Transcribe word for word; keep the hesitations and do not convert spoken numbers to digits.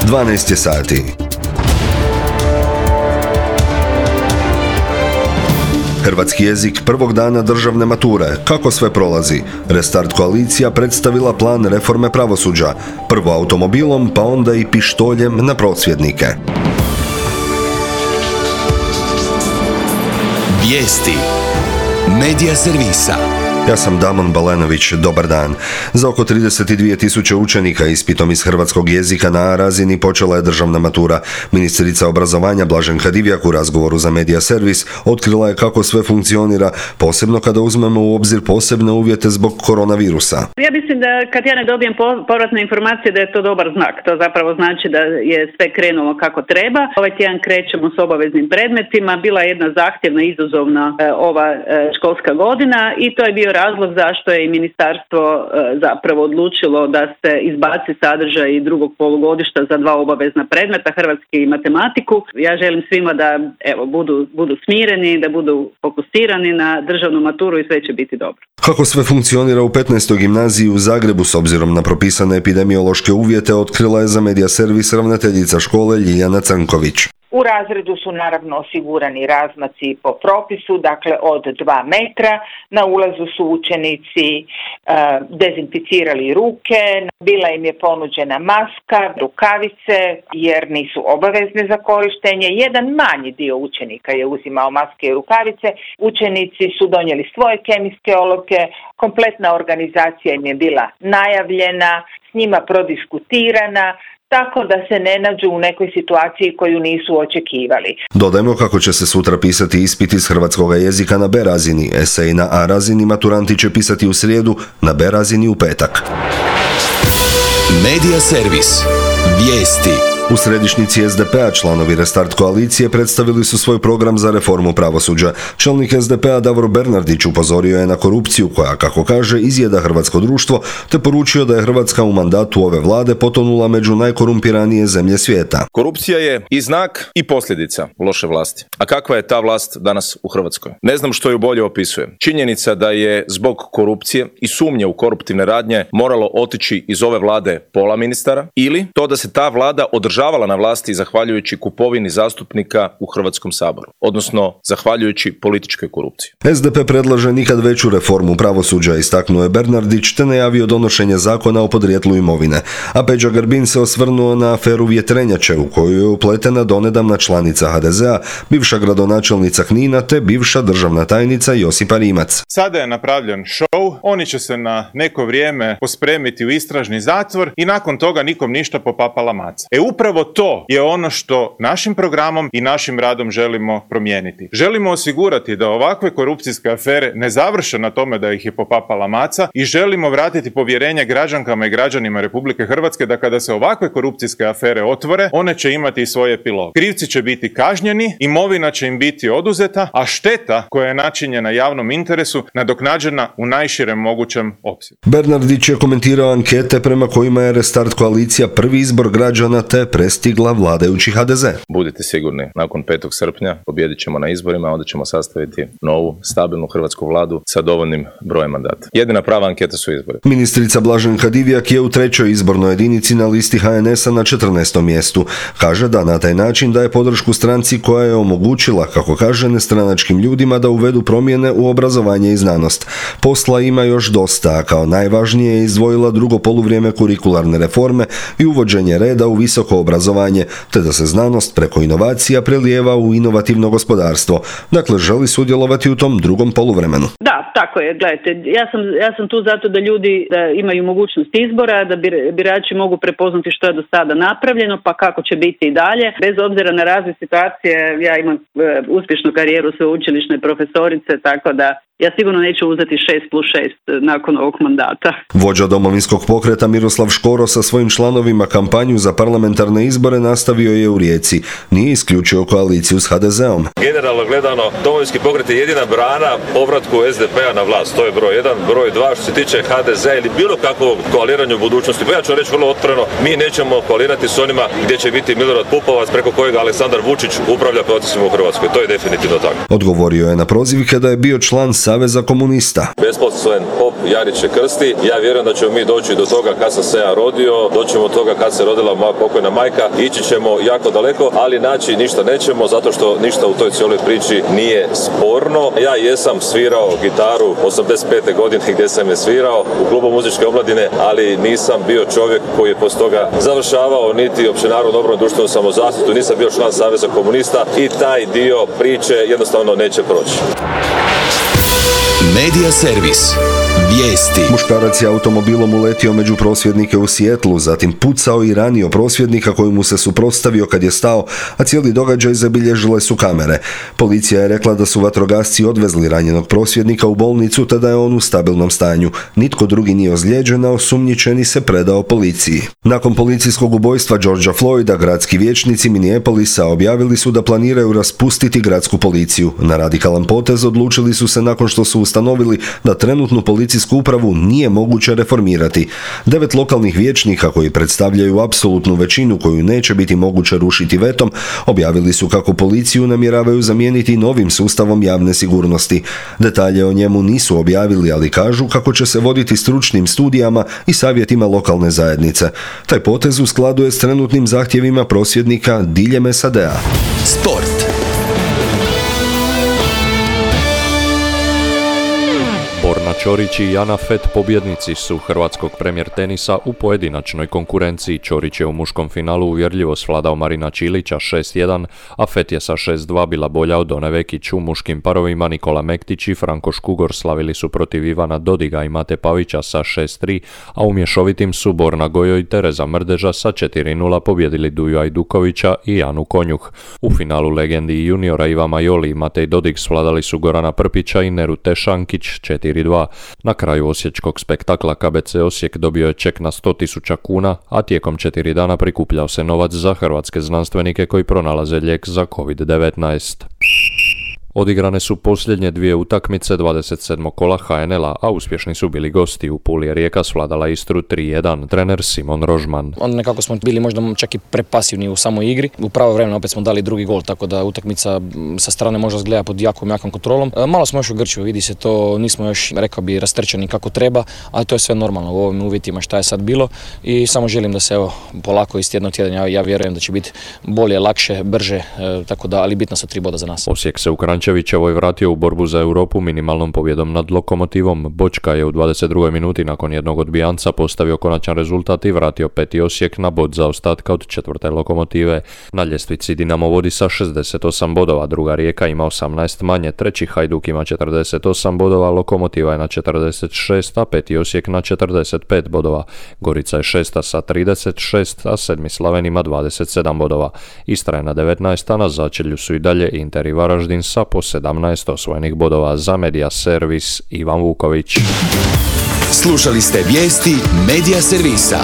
dvanaest je sati. Hrvatski jezik prvog dana državne mature. Kako sve prolazi? Restart koalicija predstavila plan reforme pravosuđa. Prvo automobilom, pa onda i pištoljem na prosvjednike. Vijesti Medija servisa. Ja sam Damon Balenović, dobar dan. Za oko trideset dvije tisuće učenika ispitom iz hrvatskog jezika na A razini počela je državna matura. Ministrica obrazovanja Blaženka Divjak u razgovoru za Medija servis otkrila je kako sve funkcionira, posebno kada uzmemo u obzir posebne uvjete zbog koronavirusa. Ja mislim da kad ja ne dobijem povratne informacije da je to dobar znak. To zapravo znači da je sve krenulo kako treba. Ovaj tjedan krećemo s obaveznim predmetima. Bila je jedna zahtjevna, izazovna e, ova e, školska godina i to je bio razlog zašto je i ministarstvo e, zapravo odlučilo da se izbaci sadržaj drugog polugodišta za dva obavezna predmeta, hrvatski i matematiku. Ja želim svima da evo budu, budu smireni, da budu fokusirani na državnu maturu i sve će biti dobro. Kako sve funkcionira u petnaestoj gimnaziji u Zagrebu s obzirom na propisane epidemiološke uvjete otkrila je za Medija servis ravnateljica škole Ljiljana Crnković. U razredu su naravno osigurani razmaci po propisu, dakle od dva metra. Na ulazu su učenici e, dezinficirali ruke, bila im je ponuđena maska, rukavice jer nisu obavezne za korištenje. Jedan manji dio učenika je uzimao maske i rukavice. Učenici su donijeli svoje kemijske olovke, kompletna organizacija im je bila najavljena, s njima prodiskutirana, tako da se ne nađu u nekoj situaciji koju nisu očekivali. Dodajmo kako će se sutra pisati ispit iz hrvatskog jezika na B razini, esej na A razini maturanti će pisati u srijedu, na B razini u petak. Medija servis. Vijesti. U središnjici es de pe a članovi Restart koalicije predstavili su svoj program za reformu pravosuđa. Čelnik es de pe a Davor Bernardić upozorio je na korupciju koja, kako kaže, izjeda hrvatsko društvo, te poručio da je Hrvatska u mandatu ove vlade potonula među najkorumpiranije zemlje svijeta. Korupcija je i znak i posljedica loše vlasti. A kakva je ta vlast danas u Hrvatskoj? Ne znam što ju bolje opisuje. Činjenica da je zbog korupcije i sumnje u koruptivne radnje moralo otići iz ove vlade pola ministara, ili to da se ta vlada održava na vlasti zahvaljujući kupovini zastupnika u Hrvatskom saboru, odnosno zahvaljujući političkoj korupciji. es de pe predlaže nikad veću reformu pravosuđa, istaknuo je Bernardić, te najavio donošenje zakona o podrijetlu imovine. A Peđa Grbin se osvrnuo na aferu Vjetrenjače u koju je upletena donedavna članica ha de ze a, bivša gradonačelnica Knina te bivša državna tajnica Josipa Rimac. Sada je napravljen show, oni će se na neko vrijeme pospremiti u istražni zatvor i nakon toga nikom ništa popapala maca. E upravo Upravo to je ono što našim programom i našim radom želimo promijeniti. Želimo osigurati da ovakve korupcijske afere ne završe na tome da ih je popapala maca i želimo vratiti povjerenje građankama i građanima Republike Hrvatske da kada se ovakve korupcijske afere otvore, one će imati i svoj epilog. Krivci će biti kažnjeni, imovina će im biti oduzeta, a šteta koja je načinjena javnom interesu nadoknađena u najširem mogućem opsegu. Bernardić je komentirao ankete prema kojima je Restart koalicija prvi izbor građana te prestigla vladajući ha de ze. Budite sigurni, nakon petog srpnja pobijedit ćemo na izborima, onda ćemo sastaviti novu, stabilnu hrvatsku vladu sa dovoljnim brojem mandata. Jedina prava anketa su izbori. Ministrica Blaženka Divjak je u trećoj izbornoj jedinici na listi ha en es a na četrnaestom mjestu. Kaže da na taj način daje podršku stranci koja je omogućila, kako kaže, nestranačkim ljudima da uvedu promjene u obrazovanje i znanost. Posla ima još dosta, a kao najvažnije je izdvojila drugo poluvrijeme kurikularne reforme i uvođenje reda u visoko obrazovanje, te da se znanost preko inovacija prelijeva u inovativno gospodarstvo. Dakle, želi sudjelovati u tom drugom poluvremenu. Da, tako je. Gledajte, ja sam, ja sam tu zato da ljudi da imaju mogućnost izbora, da birači mogu prepoznati što je do sada napravljeno, pa kako će biti i dalje. Bez obzira na razne situacije, ja imam e, uspješnu karijeru sveučilišne profesorice, tako da ja sigurno neću uzeti šest plus šest nakon ovog mandata. Vođa Domovinskog pokreta Miroslav Škoro sa svojim članovima kampanju za parlamentarne izbore nastavio je u Rijeci. Nije isključio koaliciju s ha de ze om. Generalno gledano, Domovinski pokret je jedina brana povratku es de pe a na vlast. To je broj jedan. Broj dva, što se tiče ha de ze ili bilo kakvog koaliranja u budućnosti. Pa ja ću reći vrlo otvoreno, mi nećemo koalirati s onima gdje će biti Milorad Pupovac preko kojega Aleksandar Vučić upravlja procesima u Hrvatskoj. To je definitivno tako. Odgovorio je na prozivke da je bio član Saveza komunista. Besposlen pop Jarić je krsti. Ja vjerujem da ćemo mi doći do toga kad sam se ja rodio, doćemo do toga kad se rodila moja pokojna majka. bajka, ići ćemo jako daleko, ali naći ništa nećemo zato što ništa u toj cijeloj priči nije sporno. Ja jesam svirao gitaru osamdeset pete godine gdje sam je svirao u klubu muzičke omladine, ali nisam bio čovjek koji je poslije toga završavao niti općenarodnu obranu, društvenu samozaštitu, nisam bio član Saveza komunista i taj dio priče jednostavno neće proći. Medija servis. Vijesti. Muškarac je automobilom uletio među prosvjednike u Sijetlu, zatim pucao i ranio prosvjednika koji mu se suprotstavio kad je stao, a cijeli događaj zabilježile su kamere. Policija je rekla da su vatrogasci odvezli ranjenog prosvjednika u bolnicu te da je on u stabilnom stanju. Nitko drugi nije ozlijeđen, a osumnjičeni se predao policiji. Nakon policijskog ubojstva Georgea Floyda, gradski vijećnici Minneapolisa objavili su da planiraju raspustiti gradsku policiju. Na radikalan potez odlučili su se nakon što su ustanovili da trenutnu policijsku upravu nije moguće reformirati. Devet lokalnih vijećnika koji predstavljaju apsolutnu većinu koju neće biti moguće rušiti vetom, objavili su kako policiju namjeravaju zamijeniti novim sustavom javne sigurnosti. Detalje o njemu nisu objavili, ali kažu kako će se voditi stručnim studijama i savjetima lokalne zajednice. Taj potez u skladu je s trenutnim zahtjevima prosvjednika diljem S A D-a. Sport. Borna Ćorić i Jana Fett pobjednici su hrvatskog premijer tenisa u pojedinačnoj konkurenciji. Ćorić je u muškom finalu uvjerljivo svladao Marina Čilića šest jedan, a Fett je sa šest dva bila bolja od One Vekić. U muškim parovima Nikola Mektić i Franko Škugor slavili su protiv Ivana Dodiga i Mate Pavića sa šest tri, a u mješovitim su Borna Gojo i Tereza Mrdeža sa četiri nula pobjedili Duju Ajdukovića i Anu Konjuh. U finalu legendi juniora Iva Majoli i Matej Dodig svladali su Gorana Prpića i Neru Tešankić četiri dva. Na kraju osječkog spektakla K B C Osijek dobio je ček na sto tisuća kuna, a tijekom četiri dana prikupljao se novac za hrvatske znanstvenike koji pronalaze lijek za kovid devetnaest. Odigrane su posljednje dvije utakmice dvadeset sedmog kola H N L-a, a uspješni su bili gosti. U Puli je Rijeka svladala Istru tri jedan, trener Simon Rožman. Onda nekako smo bili možda čak i prepasivni u samoj igri. U pravo vremena opet smo dali drugi gol, tako da utakmica sa strane možda izgleda pod jakom, jakom kontrolom. Malo smo još u Grču, vidi se to, nismo još, rekao bi, rastrčani kako treba, ali to je sve normalno u ovim uvjetima šta je sad bilo i samo želim da se evo polako iz tjedna u tjedan, ja, ja vjerujem da će biti bolje, lakše, brže, e, tako da, ali bitno su tri boda za nas. Osijek se u Kranjčevićevoj vratio u borbu za Europu minimalnom pobjedom nad Lokomotivom. Bočka je u dvadeset drugoj minuti nakon jednog odbijanca postavio konačan rezultat i vratio peti Osijek na bod zaostatka od četvrte Lokomotive. Na ljestvici Dinamo vodi sa šezdeset osam bodova, druga Rijeka ima osamnaest manje, treći Hajduk ima četrdeset osam bodova, Lokomotiva je na četrdeset šest, a peti Osijek na četrdeset pet bodova. Gorica je šesta sa trideset šest, a sedmi Slaven ima dvadeset sedam bodova. Istra je na devetnaest, a na začelju su i dalje Inter i Varaždin sa po sedamnaest osvojenih bodova. Za Medija servis Ivan Vuković. Slušali ste vijesti Medija servisa.